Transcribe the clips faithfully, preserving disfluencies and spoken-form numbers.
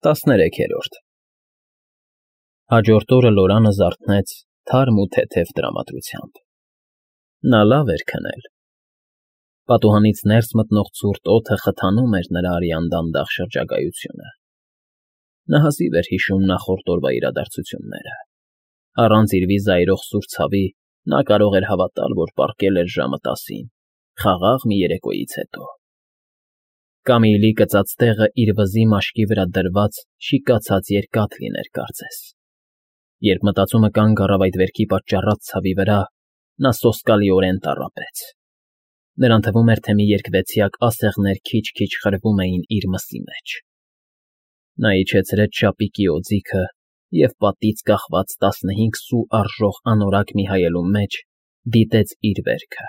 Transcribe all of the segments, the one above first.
տասներեքերորդ Հաջորդ օրը Լորանը զարթնեց թարմ ու թեթև տրամադրությամբ. նա լավ էր քնել. պատուհանից ներս մտնող ցուրտ օդը խթանում էր նրա արյան դանդաղ շրջագայությունը. նա հազիվ էր հիշում նախորդ օրվա իրադարձությունները. առանց իր վիզայրող սուր ցավի նա կարող էր հավատալ, որ պառկել էր ժամը տասին, խաղաղ մի երեկոյից հետո. Կամիլի կծած տեղը իր վզի մաշկի վրա դրված շիկացած երկաթ լիներ կարծես. Երբ մտածումը կանգ առավ այդ վերքի պատճառած ցավի վրա, նա սոսկալիորեն տառապեց. նրան թվում էր, թե մի երկվեցյակ ասեղներ քիչ-քիչ խրվում էին իր մսի մեջ. նա իջեցրեց շապիկի օձիքը և պատից կախված տասնհինգ սու արժող անորակ մի հայելուն մեջ դիտեց իր վերքը.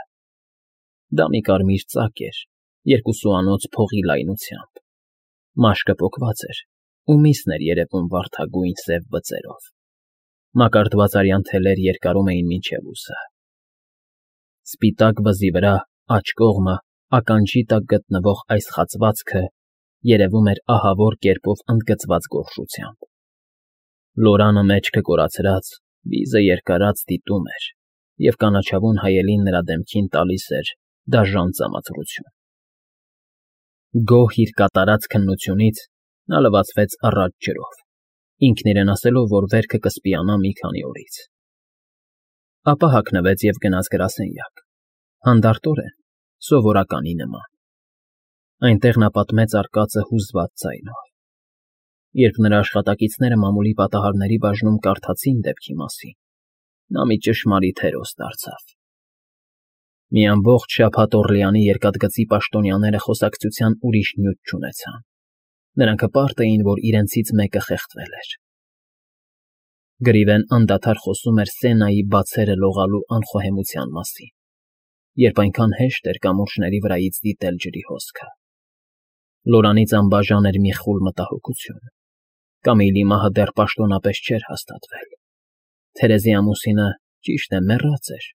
դա մի կարմիր ծակ էր, երկուսուանոց փողի լայնությամբ. մաշկը պոկված էր ու միսն էր երևում վարդագույն սև բծերով. մակարդված արյան թելեր երկարում էին մինչև ուսը. Սպիտակ վզի վրա, աջ կողմը, ականջի տակ գտնվող այս խացվածքը երևում էր ահավոր կերպով ընդգծված գորշությամբ. Լորանը մեջքը կորացրած, վիզը երկարած դիտում էր, և կանաչավուն հայելին նրա դեմքին տալիս էր դաժան ծամածրություն. Գոհ իր կատարած քննությունից նա լվացվեց առաջ ջրով, ինքն իրեն ասելով, որ վերքը կսպիանա մի քանի օրից. ապա հագնվեց և գնաց գրասենյակ, հանդարտորեն, սովորականի նման. այնտեղ նա պատմեց արկածը հուզված ձայնով. երբ նրա աշխատակիցները մամուլի պատահարների բաժնում կարդացին դեպքի մասին, նա մի ճշմարիտ հերոս դարձավ. Մի ամբողջ շաբաթ Օռլեանի երկաթգծի պաշտոնյաները խոսակցության ուրիշ նյութ չունեցան. նրանք հպարտ էին, որ իրենցից մեկը խեղդվել էր. Գրիվեն անդադար խոսում էր Սենայի բացերը լողալու անխոհեմության մասին, երբ այնքան հեշտ էր կամուրջների վրայից դիտել ջրի հոսքը. Լորանից անբաժան էր մի խուլ մտահոգություն. Կամիլի մահը դեռ պաշտոնապես չէր հաստատվել. Թերեզի ամուսինը, ճիշտ է, մեռած էր,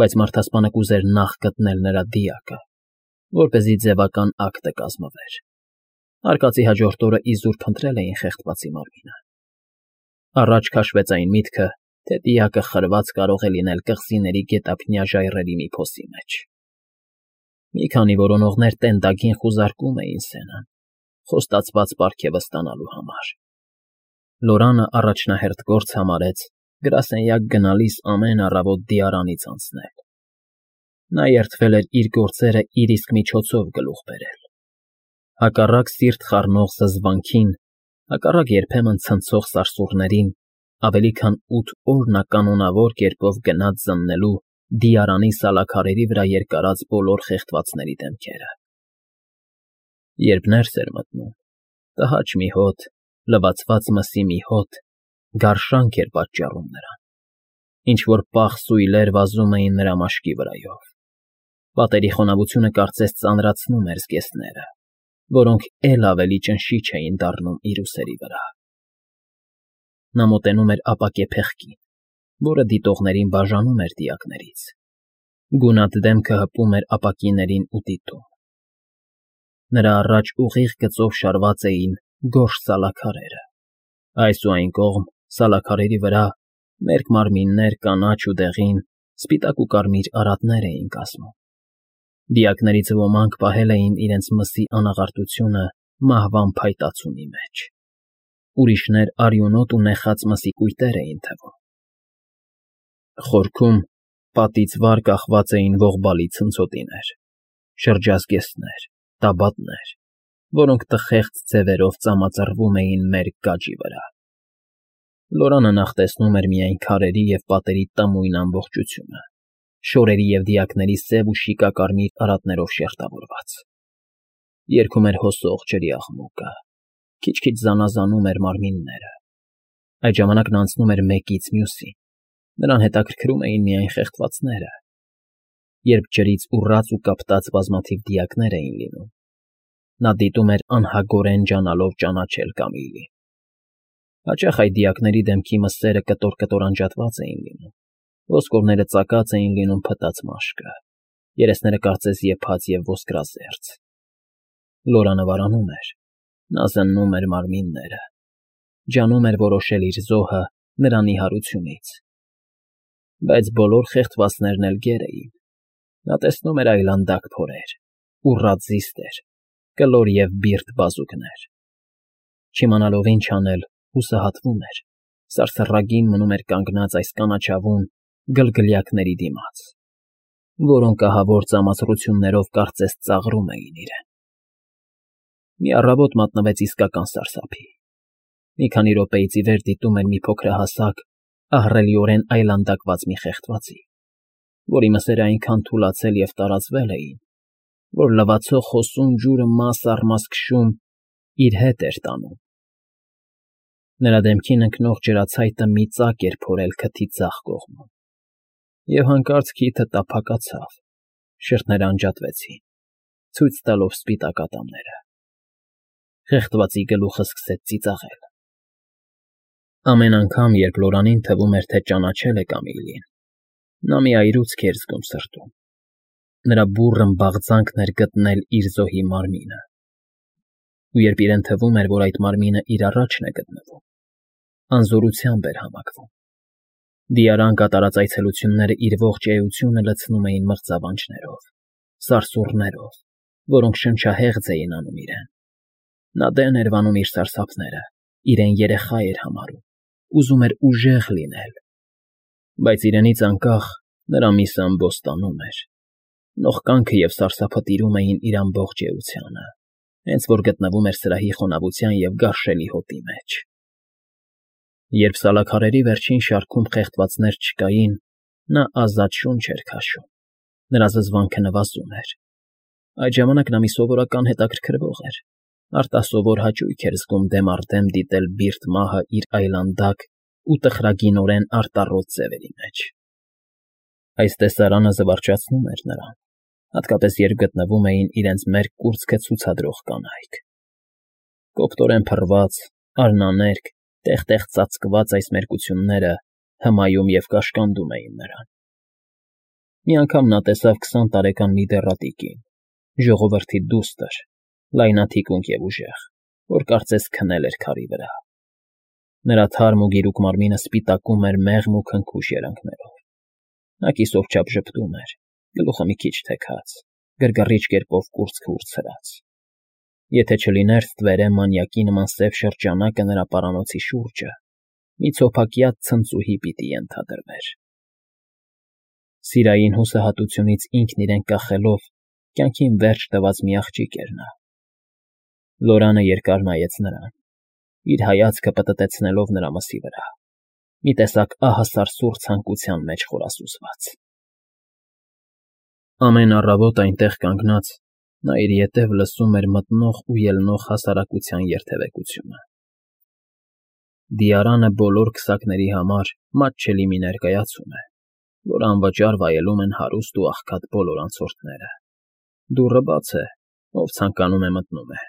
բայց մարդասպանը կուզեր նախ գտնել նրա դիակը, որպեսզի ձևական ակտը կազմվեր. արկածի հաջորդ օրը իզուր փնտրել էին խեղդվածի մարմինը. առաջ քաշվեց այն միտքը, թե դիակը խրված կարող է լինել կղզիների գետափնյա ժայռերի մի փոսի մեջ. Մի քանի որոնողներ տենդագին խուզարկում էին Սենան, խոստացված պարգևը ստանալու համար. Լորանը առաջնահերթ գործ համարեց գրասենյակ գնալիս ամեն առավոտ դիարանից անցնել. նա երդվել էր իր գործերը իր իսկ միջոցով գլուխ բերել. Հակառակ սիրտ խառնող զզվանքին, հակառակ երբեմն ցնցող սարսուռներին, ավելի քան ութ օր նա կանոնավոր կերպով գնաց զննելու դիարանի սալաքարերի վրա երկարած բոլոր խեղդվածների դեմքերը. Երբ ներս էր մտնում, տհաճ մի հոտ, լվացված մսի մի հոտ, գարշանք էր պատճառում նրան, ինչ-որ պաղ սույլեր վազում էին նրա մաշկի վրայով. պատերի խոնավությունը կարծես ծանրացնում էր զգեստները, որոնք էլ ավելի ճնշիչ էին դառնում իր ուսերի վրա. Նա մոտենում էր ապակե փեղկին, որը դիտողներին բաժանում էր դիակներից. գունատ դեմքը հպում էր ապակիներին ու դիտում. նրա առաջ ուղիղ գծով շարված էին գորշ սալաքարերը, այս ու այն կողմ, սալաքարերի վրա, մերկ մարմիններ կանաչ ու դեղին, սպիտակ ու կարմիր արատներ էին կազմում. Դիակներից ոմանք պահել էին իրենց մսի անաղարտությունը մահվան փայտացունի մեջ, ուրիշներ արյունոտ ու նեխած մսի կույտեր էին թվում. խորքում պատից վար կախված էին ողբալի ցնցոտիներ, շրջազգեստներ, տաբատներ, որոնք տխեղծ ձևերով ծամածռվում էին մերկ գաջի վրա. Լորանը նախ տեսնում էր միայն քարերի և պատերի տմույն ամբողջությունը, շորերի և դիակների սև ու շիկակարմիր արատներով շերտավորված. երգում էր հոսող ջրի աղմուկը, քիչ֊քիչ զանազանում էր մարմինները. այդ ժամանակ նա անցնում էր մեկից մյուսին, նրան հետաքրքրում էին միայն խեղդվածները. երբ ջրից ուռած ու կապտած բազմաթիվ դիակներ էին լինում, նա դիտում էր անհագորեն ջանալով ճանաչել Կամիլին. հաճախ այդ դիակների դեմքի մսերը կտոր֊կտոր անջատված էին լինում, ոսկորները ծակած էին լինում փտած մաշկը, երեսները կարծես եփած և ոսկրազերծ. Լորանը վարանում էր, Նա զննում էր մարմինները, ջանում էր որոշել իր զոհը նրա նիհարությունից։ Բայց բոլոր խեղդվածներն էլ գեր էին. նա տեսնում էր այլանդակ փորեր, ուռած զիստեր, կլոր և բիրտ բազուկներ։ Չիմանալով ինչ անել, հուսահատվում էր, սարսռագին մնում էր կանգնած այս կանաչավուն գլգլյակների դիմաց, որոնք ահավոր ծամացրություններով կարծես ծաղրում էին իրեն։ Մի առավոտ մատնվեց իսկական սարսափի։ Մի քանի րոպեից ի վեր դիտում էր մի փոքրահասակ, ահռելիորեն այլանդակված մի խեղդվածի, որի մսերը այնքան թուլացել և տարածվել էին, որ լվացող հոսուն ջուրը մաս առ մաս քշում իր հետ էր տանում։ Նրա դեմքին ընկնող ջրացայտը մի ծակ էր փորել քթի ձախ կողմում, և հանկարծ քիթը տափակացավ, շրթներն անջատվեցին, ցույց տալով սպիտակ ատամները։ Խեղդվածի գլուխը սկսեց ծիծաղել։ Ամեն անգամ, երբ Լորանին թվում էր, թե ճանաչել է Կամիլին, նա մի այրուցք էր զգում սրտում։ Նրա բուռն բաղձանքն էր գտնել իր զոհի մարմինը։ Ու երբ իրեն թվում էր, որ այդ մարմինը իր առաջն է գտնվում, անզորությամբ էր համակվում։ Դիարան կատարած այցելությունները իր ողջ էությունը լցնում էին մղձավանջներով, սարսուռներով, որոնք շնչահեղձ էին անում իրեն։ Նա դեն էր վանում իր սարսափները, իրեն երեխա էր համարում, ուզում էր ուժեղ լինել, բայց իրենից անկախ նրա միսը ամբոստանում էր։ Նողկանքը և սարսափը տիրում էին իր ամբողջ էությանը, հենց որ գտնվում էր սրահի խոնավության և գարշելի հոտի մեջ։ Երբ սալաքարերի վերջին շարքում խեղդվածներ չկային, նա ազատ շունչ էր քաշում, նրա զզվանքը նվազում էր։ Այդ ժամանակ նա մի սովորական հետաքրքրվող էր, արտասովոր հաճույք էր զգում դեմ առ դեմ դիտել բիրտ մահը իր այլանդակ ու տխրագինորեն արտառոտ ձևերի մեջ։ Այս տեսարանը զվարճացնում էր նրան, հատկապես երբ գտնվում էին իրենց մերկ կուրծքը ցուցադրող կանայք։ Կոպտորեն փռված, արնաներկ, տեղ֊տեղ ծածկված այս մերկությունները հմայում և կաշկանդում էին նրան։ Մի անգամ նա տեսավ քսան տարեկան մի դեռատի կին, ժողովրդի դուստր, լայնաթիկունք և ուժեղ, որ կարծես քնել էր քարի վրա։ Նրա թարմ ու գիրուկ մարմինը սպիտակում էր մեղմ ու քնքուշ երանգներով։ Նա կիսով չափ ժպտում էր, գլուխը մի քիչ թեքած, գրգռիչ կերպով կուրծքը ուրցրած։ Եթե չլիներ ստվերը մանյակի նման սև շրջանակը նրա պարանոցի շուրջը, մի ցոփակյաց ցնծուհի պիտի ենթադրվեր։ Սիրային հուսահատությունից ինքն իրեն կախելով, կյանքին վերջ տված մի աղջիկ էր նա։ Լորանը երկար նայեց նրան, իր հայացքը պտտեցնելով նրա մսի վրա, մի տեսակ ահասարսուռ ցանկության մեջ խորասուզված։ Ամեն առավոտ այնտեղ կանգնած, նա իր ետև լսում էր մտնող ու ելնող հասարակության երթևեկությունը։ Դիարանը բոլոր քսակների համար մատչելի մի ներկայացում է, որ անվճար վայելում են հարուստ ու աղքատ բոլոր անցորդները։ Դուռը բաց է, ով ցանկանում է մտնում է։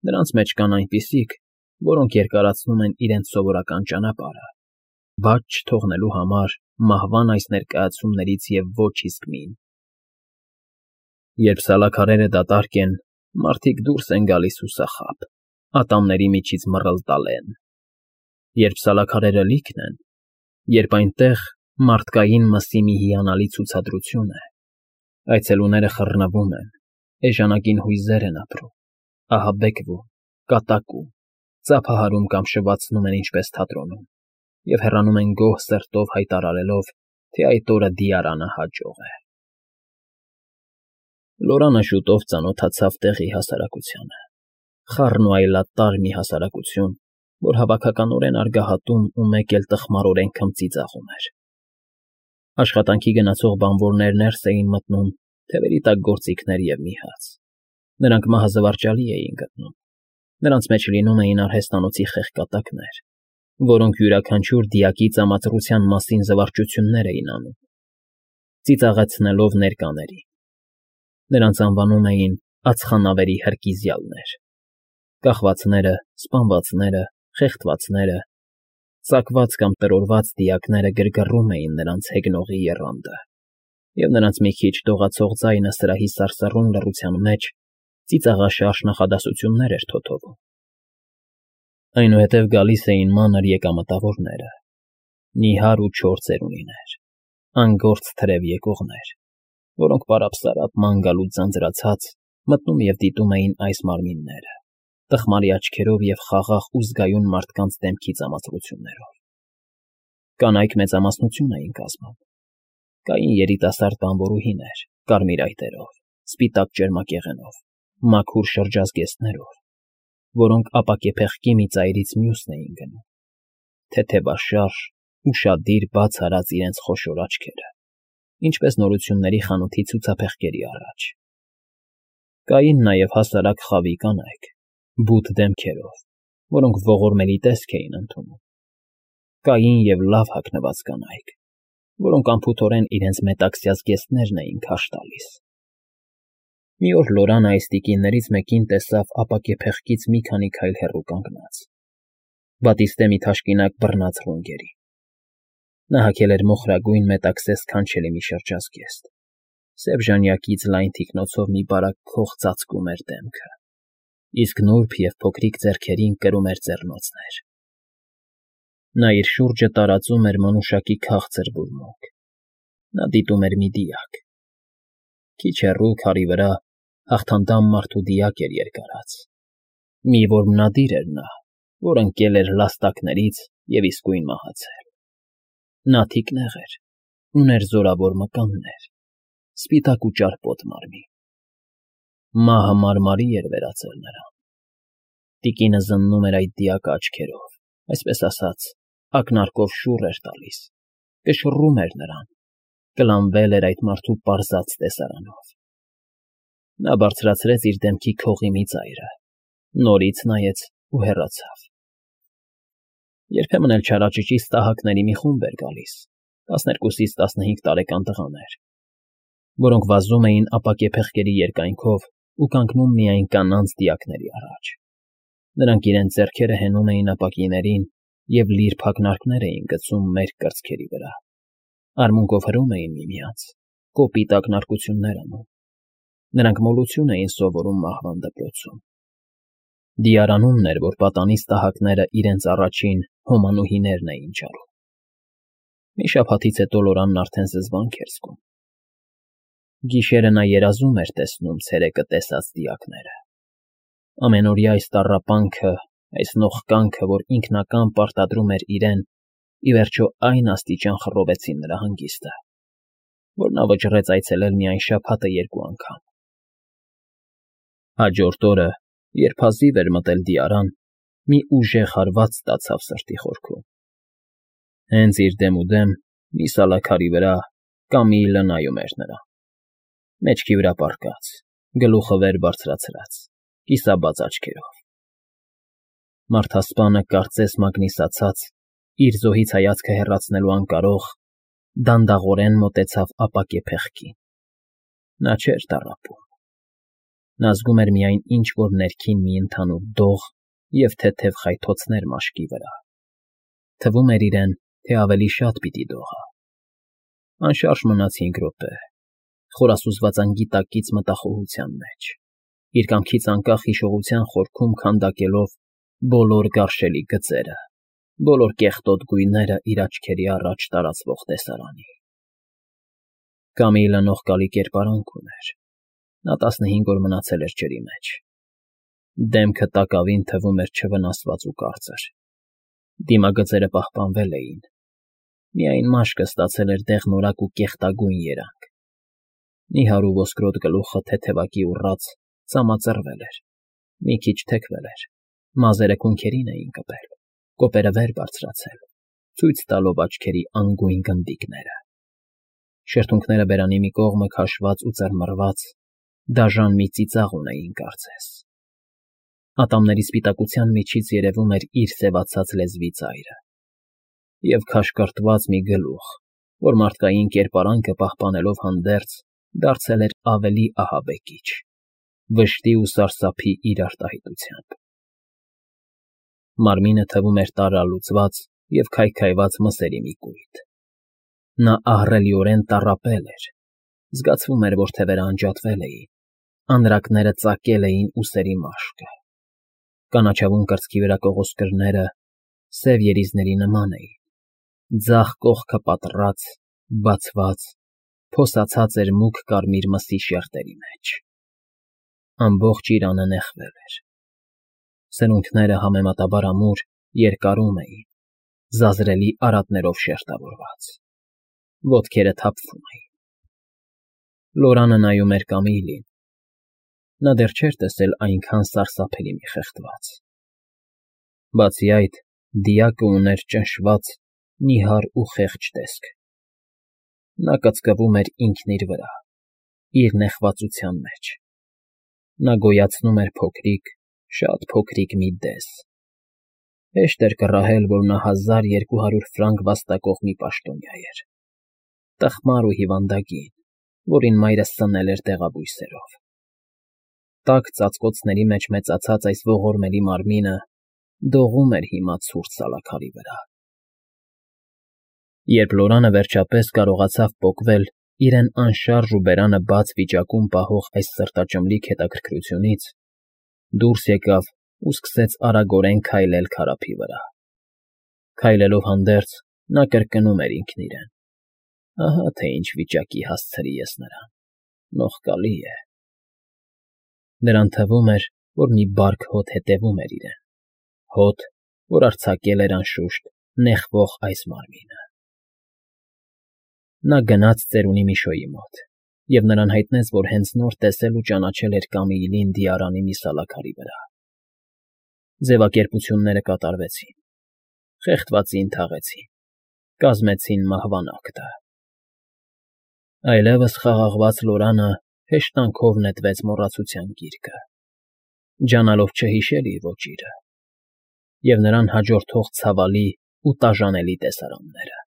Նրանց մեջ կան այնպիսիք, որոնք երկարացնում են իրենց սովորական ճանապարհը, բաց չթողնելու համար մահվան այս ներկայացումներից և ոչ իսկ մին։ Երբ սալաքարերը դատարկ են, մարդիկ դուրս են գալիս հուսախաբ, ատամների միջից մռլտալեն։ Երբ սալաքարերը լիքն են, երբ այնտեղ մարդկային մսի մի հիանալի ցուցադրություն է, այցելուները խռնվում են, էժանագին հույզեր են ապրում, ահաբեկվում, կատակում, ծափահարում կամ շվացնում են ինչպես թատրոնում, և հեռանում են գոհ սրտով հայտարարելով, թե այդ օրը Դիարանը հաջող է։ Լորանը շուտով ծանոթացավ տեղի հասարակությանը, խառն ու այլատար մի հասարակություն, որ հավաքականորեն արգահատում ու մեկ էլ տխմարորեն քմծիծաղում էր։ Աշխատանքի գնացող բանվորներ ներս էին մտնում, թևերի տակ գործիքներ և մի հաց։ Նրանք մահը զվարճալի էին գտնում։ Նրանց մեջ լինում էին արհեստանոցի խեղկատակներ, որոնք յուրաքանչյուր դիակի ծամածռության մասին զվարճություններ էին անում, ծիծաղեցնելով ներկաներին։ Նրանց անվանում էին ածխանավերի հրկիզյալներ։ Կախվածները, սպանվածները, խեղդվածները, ծակված կամ տրորված դիակները գրգռում էին նրանց հեգնողի եռանդը, և նրանց մի քիչ դողացող ձայնը սրահի սարսռուն լռության մեջ ծիծաղաշարժ նախադասություններ էր թոթովում։ Այնուհետև գալիս էին մանր եկամտավորները, նիհար ու չոր ծերունիներ, անգործ թրև եկողներ, որոնք պարապսարապ ման գալուց ձանձրացած մտնում և դիտում էին այս մարմինները, տխմարի աչքերով և խաղաղ ու զգայուն մարդկանց դեմքի ծամացրություններով։ Կանայք մեծամասնություն էին կազմում։ Կային երիտասարդ բանվորուհիներ, կարմիր այտերով, սպիտակ ճերմակեղենով, մաքուր շրջազգեստներով, որոնք ապակեպեղկի մի ծայրից մյուսն էին գնում, թեթևաշարժ, ուշադիր բաց արած իրենց խոշոր աչքերը, ինչպես նորությունների խանութի ցուցափեղկերի առաջ։ Կային նաև հասարակ խավի կանայք, բութ դեմքերով, որոնք ողորմելի տեսք էին ընդունում։ Կային և լավ հագնված կանայք, որոնք անփութորեն իրենց մետաքսյա զգեստներն էին քարշ տալիս։ Մի օր Լորանը այս տիկիններից մեկին տեսավ ապակեպեղկից մի քանի քայլ հեռու կանգնած, բատիստե մի թաշկինակ բռնած ռունգերի։ Նա հագել էր մոխրագույն մետաքսե սքանչելի մի շրջազգեստ, սև ժանյակից լայն թիկնոցով մի բարակ քող ծածկում էր դեմքը, իսկ նուրբ և փոքրիկ ձեռքերին կրում էր ձեռնոցներ։ Նա իր շուրջը տարածում էր մանուշակի քաղցր բուրմունք։ Նա դիտում էր մի դիակ։ Քիչ հեռու, քարի վրա, հաղթանդամ մարդու դիակ էր երկարած։ Մի որմնադիր էր նա, որ ընկել էր լաստակներից և իսկույն մահացել։ Նա թիկնեղ էր, ուներ զորավոր մկաններ, սպիտակ ու ճարպոտ մարմին։ Մահը մարմարի էր վերածել նրան։ Տիկինը զննում էր այդ դիակը աչքերով, այսպես ասած, ակնարկով շուռ էր տալիս, կշռում էր նրան, կլանվել էր այդ մարդու պարզած տեսարանով։ Նա բարձրացրեց իր դեմքի քողի մի ծայրը, նորից նայեց ու հեռացավ։ Երբեմն էլ չարաճճի ստահակների մի խումբ էր գալիս, տասներկուսից տասնհինգ տարեկան տղաներ, որոնք վազում էին ապակեպեղկերի երկայնքով ու կանգնում միայն կանանց դիակների առաջ։ Նրանք իրենց ձեռքերը հենում էին ապակիներին և լիր փակնարկներ էին գցում մերկ կրծքերի վրա, արմունկով հրում էին միմյանց, կոպիտ ակնարկություններ անում։ Նրանք մոլություն էին սովորում մահվան դպրոցում։ Դիարանումն էր, որ պատանի ստահակները իրենց առաջին հոմանուհիներն էին ճարում։ Մի շաբաթից հետո Լորանն արդեն զզվանք էր զգում։ Գիշերը նա երազում էր տեսնում ցերեկը տեսած դիակները։ Ամենօրյա այս տառապանքը, այս նողկանքը, որ ինքնակամ պարտադրում էր իրեն, ի վերջո այն աստիճան խռովեցին նրա հանգիստը, որ նա վճռեց այցելել միայն շաբաթը երկու անգամ։ Հաջորդ օրը, երբ հազիվ էր մտել դիարան, մի ուժեղ հարված ստացավ սրտի խորքում։ Հենց իր դեմուդեմ, մի սալաքարի վրա, Կամիլը նայում էր նրան, մեջքի վրա պառկած, գլուխը վեր բարձրացրած, կիսաբաց աչքերով։ Մարդասպանը, կարծես մագնիսացած, իր զոհից հայացքը հեռացնելու անկարող, դանդաղորեն մոտեցավ ապակեպեղկին։ Նա չէր տառապում։ Նա զգում էր միայն ինչ֊որ ներքին մի ընդհանուր դող և թեթև խայթոցներ մաշկի վրա։ Թվում էր իրեն, թե ավելի շատ պիտի դողա։ Անշարժ մնաց հինգ րոպե, խորասուզված անգիտակից մտախոհության մեջ, իր կամքից անկախ հիշողության խորքում քանդակելով բոլոր գարշելի գծերը, բոլոր կեղտոտ գույները իր աչքերի առաջ տարածվող տեսարանի։ Կամիլը նողկալի կերպարանք ուներ։ Նա տասնհինգ օր մնացել էր ջրի մեջ։ Դեմքը տակավին թվում էր չվնասված ու կարծր։ Դիմագծերը պահպանվել էին։ Միայն մաշկը ստացել էր դեղնորակ ու կեղտագույն երանգ։ Նիհար ու ոսկրոտ գլուխը թեթևակի ուռած ծամածռվել էր, մի քիչ թեքվել էր, մազերը քունքերին էին կպել, կոպերը վեր բարձրացել, ցույց տալով աչքերի անգույն գնդիկները։ Շրթունքները բերանի մի կողմը քաշված ու ծռմռված, դաժան մի ծիծաղ ունեին կարծես։ Ատամների սպիտակության միջից երևում էր իր սևացած լեզվի ծայրը։ Եվ քաշկրտված մի գլուխ, որ մարդկային կերպարանքը պահպանելով հանդերձ, դարձել էր ավելի ահաբեկիչ, վշտի ու սարսափի իր արտահայտությամբ։ Մարմինը թվում էր տարրալուծված և քայքայված մսերի մի կույտ։ Նա ահռելիորեն տառապել էր, զգացվում էր, որ թևերը անջատվել էին, Անրակները ծակել էին ուսերի մաշկը, կանաչավուն կրծքի վրա կողոսկրները սև երիզների նման էին, ձախ կողքը պատռած, բացված, փոսացած էր մուգ կարմիր մսի շերտերի մեջ. ամբողջ իրանը նեխվել էր, սրունքները համեմատաբար ամուր, երկարում էին, զազրելի արատներով շերտավորված, ոտքերը թափվում էին. Լորանը նայում էր Կամիլին, նա դեռ չէր տեսել այնքան սարսափելի մի խեղդված. բացի այդ, դիակը ուներ ճնշված, նիհար ու խեղճ տեսք, նա կծկվում էր ինքն իր վրա, իր նեխվածության մեջ, նա գոյացնում էր փոքրիկ, շատ փոքրիկ մի դես, հեշտ էր կռահել, որ նա հազար երկու հարյուր ֆրանկ վաստակող մի պաշտոնյա էր, տխմար ու հիվանդագին, որին մայրը սնել էր դեղաբույսերով. տաք ծածկոցների մեջ մեծացած այս ողորմելի մարմինը դողում էր հիմա ցուրտ սալաքարի վրա։ Երբ Լորանը վերջապես կարողացավ պոկվել իրեն անշարժ ու բերանը բաց վիճակում պահող այս սրտաճմլիկ հետաքրքրությունից, դուրս եկավ ու սկսեց արագորեն քայլել քարափի վրա։ Քայլելով հանդերձ, նա կրկնում էր ինքն իրեն. ահա թե ինչ վիճակի հասցրի ես նրան, նողկալի է։ Նրան թվում էր, որ մի բարք հոտ հետևում էր իրեն, հոտ, որ արձակել էր անշուշտ նեխվող այս մարմինը։ Նա գնաց ծերունի Միշոյի մոտ և նրան հայտնեց, որ հենց նոր տեսել ու ճանաչել էր Կամիլին Դիարանի մի սալաքարի վրա։ Ձևակերպությունները կատարվեցին, խեղդվածին թաղեցին, կազմեցին մահվան ակտը։ Այլևս խաղաղված Լորանը հեշտանքով նետվեց մոռացության գիրկը, ջանալով չհիշել իր ոճիրը և նրան հաջորդող ցավալի ու տաժանելի տեսարանները։